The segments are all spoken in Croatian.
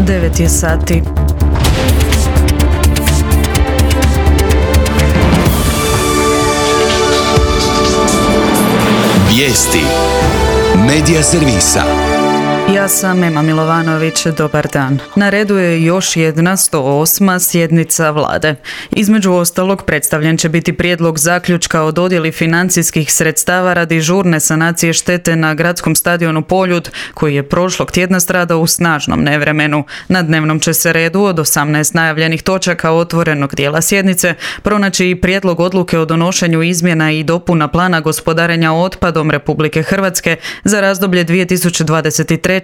9 je sati. Vijesti Medija servisa. Ja sam Ema Milovanović, dobar dan. Na redu je još jedna 108. sjednica vlade. Između ostalog predstavljen će biti prijedlog zaključka o dodjeli financijskih sredstava radi žurne sanacije štete na gradskom stadionu Poljud, koji je prošlog tjedna stradao u snažnom nevremenu. Na dnevnom će se redu od 18 najavljenih točaka otvorenog dijela sjednice pronaći i prijedlog odluke o donošenju izmjena i dopuna plana gospodarenja otpadom Republike Hrvatske za razdoblje 2023-2028.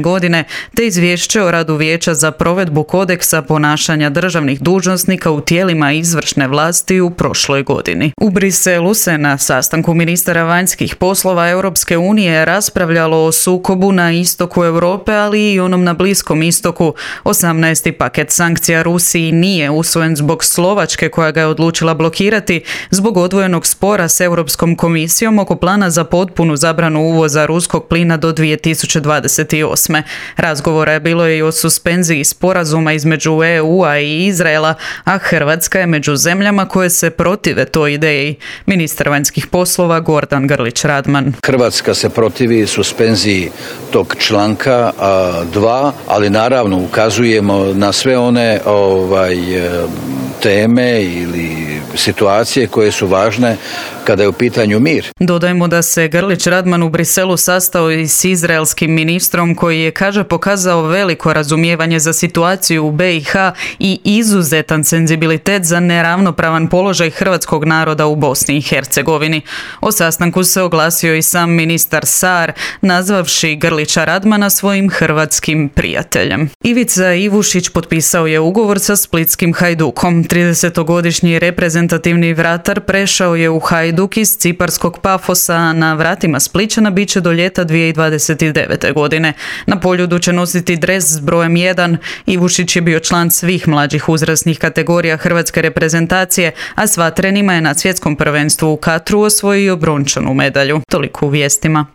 godine, te izvješće o radu Vijeća za provedbu kodeksa ponašanja državnih dužnosnika u tijelima izvršne vlasti u prošloj godini. U Briselu se na sastanku ministara vanjskih poslova Europske unije raspravljalo o sukobu na istoku Europe, ali i onom na Bliskom istoku. 18. paket sankcija Rusiji nije usvojen zbog Slovačke, koja ga je odlučila blokirati zbog odvojenog spora s Europskom komisijom oko plana za potpunu zabranu uvoza ruskog plina do 2028. Razgovora je bilo i o suspenziji sporazuma između EU-a i Izraela, a Hrvatska je među zemljama koje se protive toj ideji. Ministar vanjskih poslova Gordan Grlić Radman. Hrvatska se protivi suspenziji tog članka 2, ali naravno ukazujemo na sve one teme ili situacije koje su važne kada je u pitanju mir. Dodajmo da se Grlić Radman u Briselu sastao i s izraelskim ministrom koji je, kaže, pokazao veliko razumijevanje za situaciju u BiH i izuzetan senzibilitet za neravnopravan položaj hrvatskog naroda u Bosni i Hercegovini. O sastanku se oglasio i sam ministar Saar, nazvavši Grlića Radmana svojim hrvatskim prijateljem. Ivica Ivušić potpisao je ugovor sa splitskim Hajdukom. 30-godišnji reprezentativni vratar prešao je u Hajduk iz ciparskog Pafosa, a na vratima Splićana bit će do ljeta 2029. godine. Na Poljudu će nositi dres s brojem 1. Ivušić je bio član svih mlađih uzrasnih kategorija hrvatske reprezentacije, a s vatrenima je na svjetskom prvenstvu u Katru osvojio brončanu medalju. Toliko u vijestima.